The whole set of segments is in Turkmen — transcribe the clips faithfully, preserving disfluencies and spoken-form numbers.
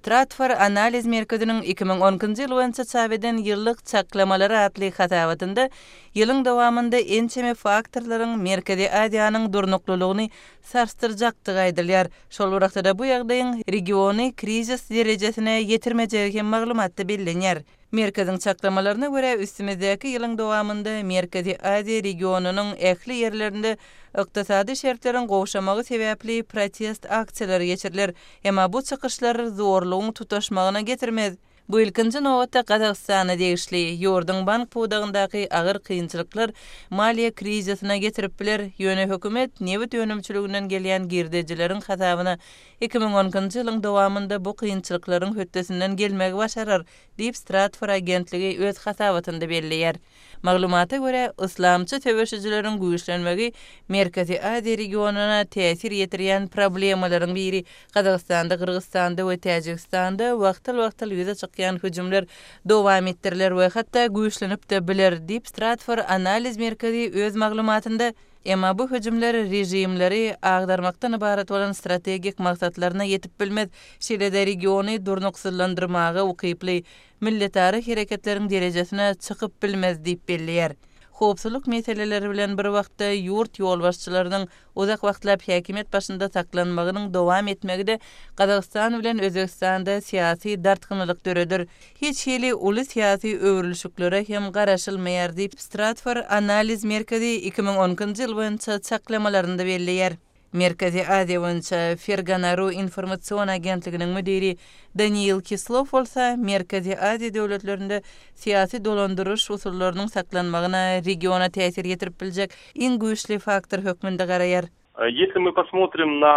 Stratfor analiz merkeziniň iki müň on ikinji ýyl boýunça çap eden Ýyllyk çaklamalary atly hasabatynda ýylyň dowamynda ençeme faktorlaryň Merkezi Aziýanyň durnuklylygyny sarsdyrjakdygy aýdylýar. Şol bir wagtda-da bu ýagdaýyň regiony krizis derejesine ýetirmejegi hem maglumatda bellenýär. Merkeziň çaklamalaryna görä, üstümizdäki ýylyň dowamynda Merkezi Aziýa regionynyň ähli ýerlerinde ykdysady şertleriň gowşamagy sebäpli protest aksiýalary geçiriler. Emma bu çykyşlar zorlugyň tutaşmagyna getirmez. Bu ilkinji nobatda Gazagystana degişli. Ýurduň bank pudagyndaky agyr kynçylyklar maliýe krizisine getirip biler, ýöne hökümet nebit önümçiliginden gelýän girdejileriň hasabyna iki müň on ikinji ýylyň dowamynda bu kynçylyklaryň hötdesinden gelmegi başarar, diýip Stratfor agentligi öz hasabatynda belleýär. Maglumata görä, yslamçy söweşijileriň güýçlenmegi Merkezi Aziýa regionyna täsir ýetirýän problemalaryň biri. Gazagystanda, Gyrgyzystanda we Täjigistanda wagtal-wagtal ýüze çykýan hüjümler dowam etdiriler we hatda güýçlenip-de biler, diýip Stratfor analiz merkezi öz maglumatynda, emma bu hüjümler režimleri agdarmakdan ybarat bolan strategik maksatlaryna ýetip bilmez, şeýle-de regiony durnuksyzlandyrmaga ukyply milletara hereketleriň derejesine çykyp bilmez diýip belleýär. Howpsuzlyk meseleleri bilen bir wagtda ýurt ýolbaşçylarynyň uzak wagtlap häkimiýet başynda saklanmagynyň dowam etmegi-de Gazagystan bilen Özbegistanda syýasy dartgynlylyk döreder. Hiç hili uly syýasy öwrülişiklere hem garaşylmaýar diýip Stratfor analiz merkezi iki müň on ikinji ýyl boýunça çaklamalarynda belleýär. Merkezi Aziýa boýunça Ferganaru informasion agentliginiň müdiri Daniil Kislow bolsa Merkezi Aziýa döwletlerinde syýasy dolandyryş usullarynyň saklanmagyna regiona täsir ýetirip biljek iň güýçli faktor hökmünde garaýar. Если мы посмотрим на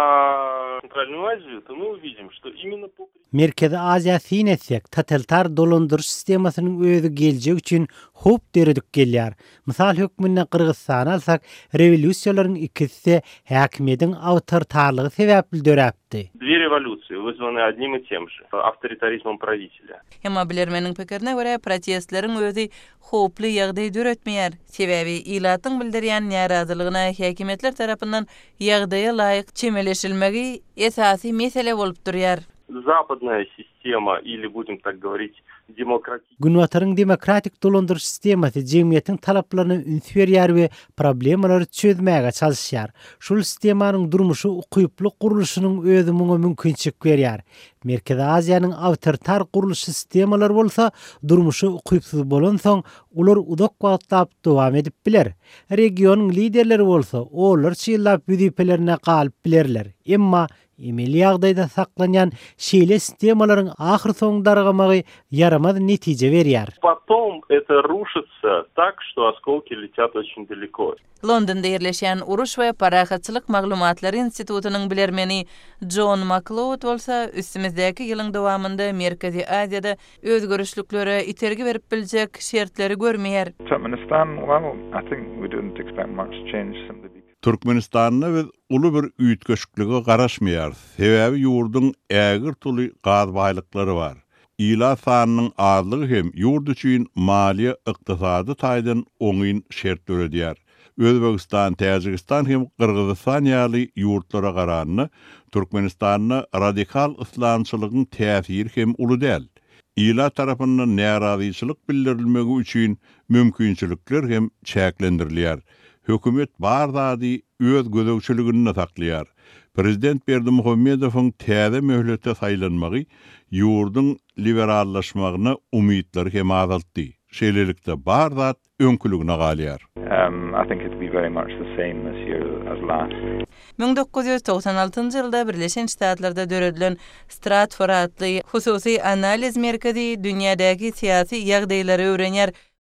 Центральную Азию, то мы увидим, что именно по Merkezi Aziýa syn etsek, totalitar dolandyryş sistemasynyň özi geljek üçin howp döredip gelýär. Mysal hökmünde Gyrgyzystany alsak, rewolýusiýalaryň ikisi häkimiýetiň awtoritarlygy sebäpli döräpdi. Две революции вызваны одним и тем же авторитаризмом правителя. Emma bilermeniň pikirine görä protestleriň özi howply ýagdaý döretmeýär. Sebäbi ilatyň bildirýän närazylygyna häkimiýetler tarapyndan ýagdaýa laýyk çemeleşilmegi esasy mesele bolup durýar. Западная система или, будем так говорить, demokratik. Günbataryň demokratik dolandyryş sistemasy jemgyýetiň talaplaryna üns berýär we problemalary çözmäge çalışýar. Şol sistemanyň durmuşy ukyply gurluşynyň özi muňa mümkinçilik berýär. Merkezi Aziýanyň awtoritar gurluş sistemalary bolsa durmuşy ukypsyz bolansoň, ular uzak wagtlap dowam edip biler. Regionyň liderleri bolsa onlarça ýyllap wezipelerine galyp bilerler. Emma emeli ýagdaýda saklanýan şeýle sistemalaryň ahyr soň dargamagy ýaramaz netije berýär. Потом это рушится так, что осколки летят очень далеко. Londonda ýerleşýän Uruş we Parahatçylyk maglumatlary institutynyň bilermeni John McLeod bolsa üstümizdäki ýylyň dowamynda Merkezi Aziýada özgerişliklere itergi berip biljek şertleri görmeýär. Turkmenistan, well, I think we didn't expect much change simply because Türkmenistanda biz uly bir üýtgeşiklige garaşmaýarys. Sebäbi ýurduň ägirt uly gaz baýlyklary bar. Ilat sanynyň azlygy hem ýurt üçin maliýe ykdysady taýdan oňyn şert döredýär. Özbegistan, Täjigistan hem Gyrgyzystan ýaly ýurtlara garanda Türkmenistanda radikal yslamçylygyň täsiri hem uly däl. Ilat tarapyndan närazyçylyk bildirilmegi üçin mümkinçilikler hem çäklendirilýär. Hökümet bar zady öz gözegçiliginde saklaýar. Prezident Berdimuhamedowyň täze möhlete saýlanmagy ýurduň liberallaşmagyna umytlary hem azaltdy. Şeýlelikde bar zat öňküligine galýar. Um, I think it'll be very much the same this year as last. Müň dokuz ýüz togsan altynjy ýylda Birleşen Ştatlarda döredilen Stratfor atly hususy analiz merkezi dünýädäki syýasy ýagdaýlary öwrenýär.